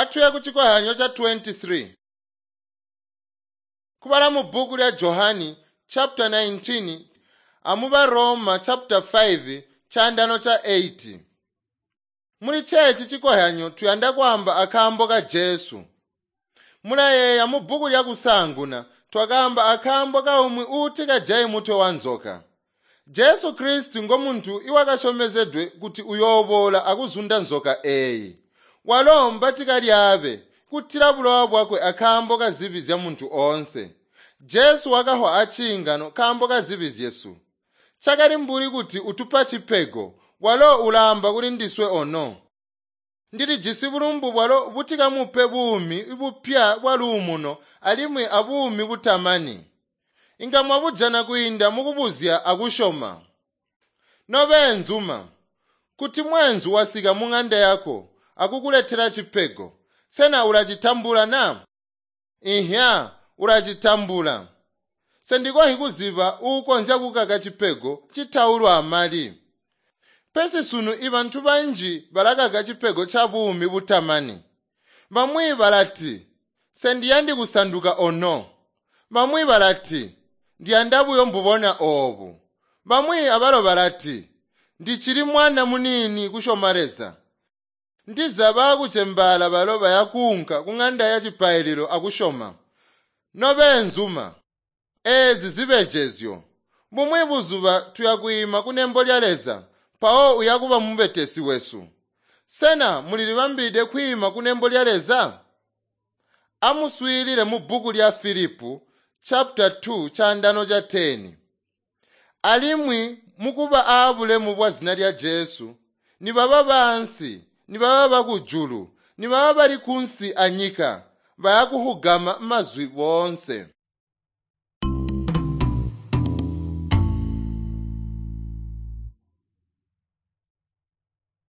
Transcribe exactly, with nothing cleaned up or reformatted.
Atuye ku chikohyanyo cha twenty-three. Kubala mu bhuku lya Johani chapter nineteen amuba Roma chapter five chandano cha eight. Muli chechi chikohyanyo tuyanda kwamba akambo ka Jesu. Mulayeya mu bhuku lya kusanguna twakamba akambo ka umwe uti kajayi mutwe wa nzoka. Jesu Kristu ngomuntu iwakashomezedwe kuti uyobola akuzunda nzoka eyi. Walomba tikalyabe kutira bulowa bwakwe akambo ka zibi zya muntu onse. Jesu wakahwa achingano kambo ka zibi zyesu. Chakali mbuli kuti utupa chipego walo ulamba kuli ndiswe ono. Ndilijisi bulumbu bwalo butikamupe buumi bupya bwa luumuno alimwi abuumi butamani. Inga mwabujana kwiinda mukubuzya akushoma. Nobeenzuma, kuti mwenzu wasika mung'anda yako akukuletera chipego, sena ulachitambula na? Ihya, ulachitambula. Sendikohi kuziba uukonzya kukaka chipego chitaulwa amali. Pesi sunu ibantu banji balakaka chipego cha buumi butamani. Bamwi balati, sendiyandi kusanduka ono. Bamwi balati, ndiyanda buyo mbubona obu. Bamwi abalo balati, ndichili mwana munini kushoma Leza. Ndiza bakuchembala balo bayakunka kung'anda ya chipaililo akushoma. Nobeenzuma, ezi zibejezyo. Bumwi buzuba tuyakuima kunembo lya Leza, mpawo uyakuba mubetesi wesu. Sena mulilibambide kwiima kunembo lya Leza? Amuswiilile mu bhuku lya Filipu chapter two chandano cha ten. Alimwi mukuba aabulemu bwa zina lya Jesu, nibaba bansi, nibaba bakujulu, nibaba bali kunsi anyika, bayakuhugama mazwi boonse.